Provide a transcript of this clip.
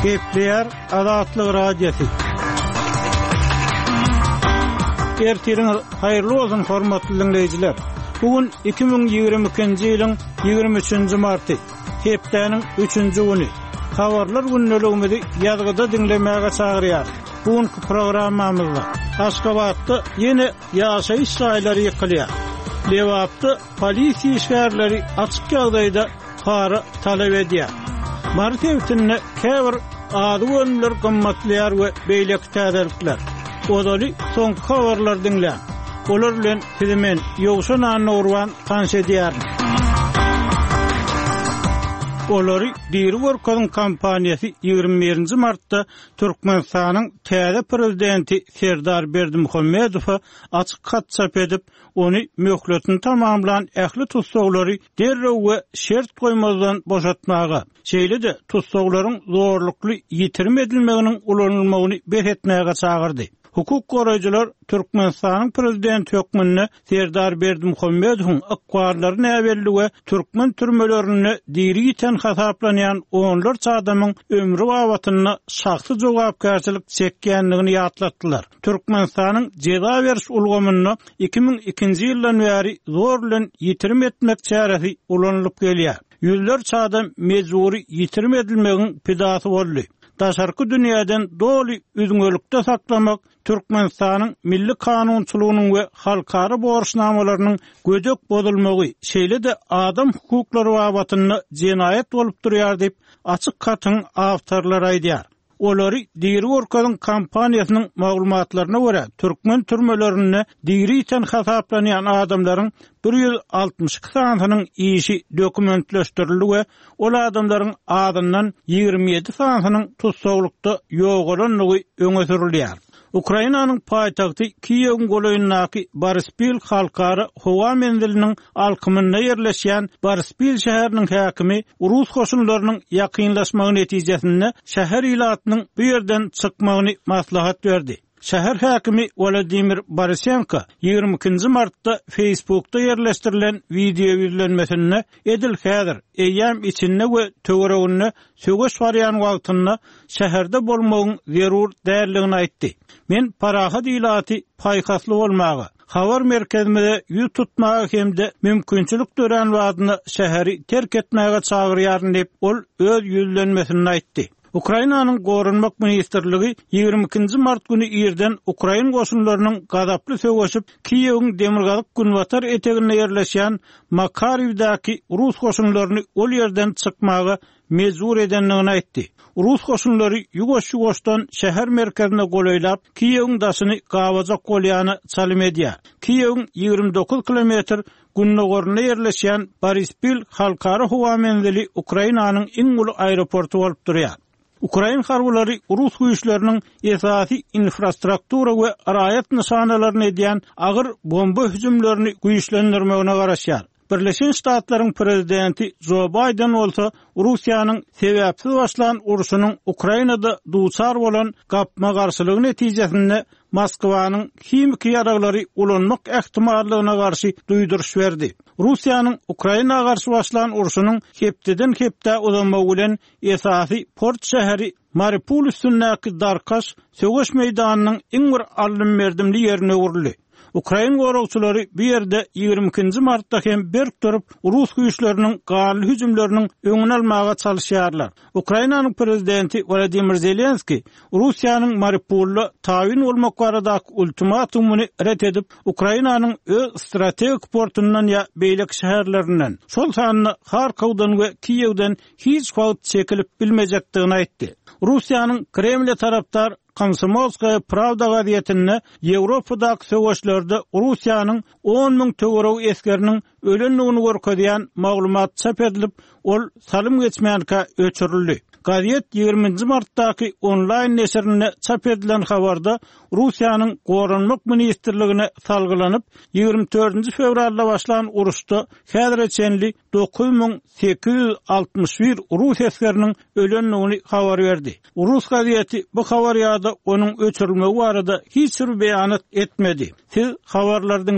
Gepleýär Azatlyk Radiosy. Ertiriňiz haýyrly bolsun, hormatly diňleýjiler! Bu gün 2022-nji ýylyň 23-nji marty, hepdäniň üçünji güni. Habarlar gündeligimizi ýazgyda diňlemäge çagyrýarys. Bu günki programmamyzda Aşgabatda ýene ýaşaýyş jaýlary ýykylýar. Lebapda polisiýa işgärleri açyk ýagdaýda para talap edýär. Mary sebitinde käbir azyk önümler gymmatlaýar we beýleki täzelikler. Ozaly soňky habarlary diňläň. Olar bilen sizi men, Ýowşan Annagurban tanyş edýärin. Olary diri görkeziň kampaniýasy 21-nji martda Türkmenistanyň täze Prezidenti Serdar Berdimuhamedowa açyk hat çap edip, ony möhletini tamamlan ähli tussaglary derrew we şert goýmazdan boşatmaga, şeýle-de tussaglaryň zorlukly ýitirim edilmeginiň ulanylmagyny bes etmäge çagyrdy. Hukuk goraýjylar Türkmenistanyň prezidenti hökmünde Serdar Berdimuhamedowyň ykballary näbelli we türkmen türmelerinde diri ýiten hasaplanýan onlarça adamyň ömri babatynda şahsy jogapkärçilik çekýändigini ýatlatdylar. Türkmenistanyň jeza beriş ulgamynda 2002-nji ýyldan bäri zor bilen ýitirim etmek çäresi ulanylyp gelýär. Ýüzlerçe adam mejbury ýitirim edilmegiň pidasy boldy. Daşarky dünýäden doly üzňelikde saklamak Türkmenistanyň milli kanunçylygynyň we halkara borçnamalarynyň gödek bozulmagy, şeýle-de adam hukuklary babatynda jenaýat bolup durýar diýip, açyk hatyň awtorlary aýdýar. Olary diri görkeziň kampaniýasynyň maglumatlaryna görä, türkmen türmelerinde diri ýiten hasaplanýan adamlaryň 162 sanysynyň işi dokumentleşdirildi we ol adamlaryň azyndan 27 sanysynyň tussaglykda ýogalandygy öňe sürülýär. Ukrainanyň paýtagty Kiýewiň golaýyndaky Boryspil halkara howa menziliniň alkymynda ýerleşýän Boryspil şäheriniň häkimi rus goşunlarynyň ýakynlaşmagy netijesinde şäher ilatynyň bu ýerden çykmagyny maslahat berdi. Şäher häkimi Wolodymyr Borisenko 22-nji martda Facebookda ýerleşdirilen wideoýüzlenmesinde edil häzir, eýýäm içinde we töwereginde söweş barýan wagtynda şäherde bolmagyň zerur däldigini aýtdy. Men parahat ilaty paýhasly bolmaga, habar merkezimize ýüz tutmaga hem-de mümkinçilik dörän badyna şäheri terk etmäge çagyrýaryn diýip, ol öz ýüzlenmesinde aýtdy. Ukrainanyň Goranmak ministrligi 22-nji mart güni irden ukrain goşunlarynyň gazaply söweşip, Kiýewiň demirgazyk-günbatar eteginde ýerleşýän Makariwdäki rus goşunlaryny ol ýerden çykmaga mejbur edendigini aýtdy. Rus goşunlary ýuwaş-ýuwaşdan şäher merkezine golaýlap, Kiýewiň daşyny gabajak bolýana çalym edýär. Kiýewiň 29 kilometr gündogarynda ýerleşýän Borispil halkara howa menzili Ukrainanyň iň uly aeroporty bolup durýar. Ukrain harbylary rus güýçleriniň esasy infrastruktura we raýat nyşanalaryna edýän agyr bomba hüjümlerini güýçlendirmegine garaşýar. Birleşen Ştatlaryň prezidenti Jo Baýden bolsa Russiýanyň sebäpsiz başlan urşunyň Ukrainada duçar bolan gapma-garşylygy netijesinde Moskwanyň himiki ýaraglary ulanmak ähtimallygyna garşy duýduryş berdi. Russiýanyň Ukraina garşy başlan urşunyň hepdeden-hepdä uzamagy bilen esasy port şäheri Mariupol üstündäki darkaş söweş meýdanynyň iň bir aldym-berdimli ýerine öwrüldi. Ukrain goragçylary bu ýerde 22-nji martda hem berk durup, rus güýçleriniň ganly hüjümleriniň öňüni almaga çalyşýarlar. Ukrainanyň prezidenti Wolodymyr Zelenskiý Russiýanyň Mariupolda tabyn bolmak baradaky ultimatumyny ret edip, Ukrainanyň öz strategik portundan ýa beýleki şäherlerinden, şol sanda Harkowdan we Kiýewden hiç wagt çekilip bilmejekdigini aýtdy. Russiýanyň Kremle tarapdar Komsomolskaýa prawda gazetinde Ýewropadaky söweşlerde Russiýanyň 10 müň töweregi esgeriniň ölendigini görkezýän maglumat çap edilip, ol salym geçmänkä öçürildi. Gazet 20-nji martdaky onlaýn neşirinde çap edilen habarda Russiýanyň Goranmak ministrligine salgylanyp, 24-nji fewralda başlan uruşda häzire çenli 9861 rus esgeriniň ölendigini habar berdi. Rus gazeti bu habar ýa-da onuň öçürilmegi barada hiç bir beýanat etmedi. Siz habarlary diňläň.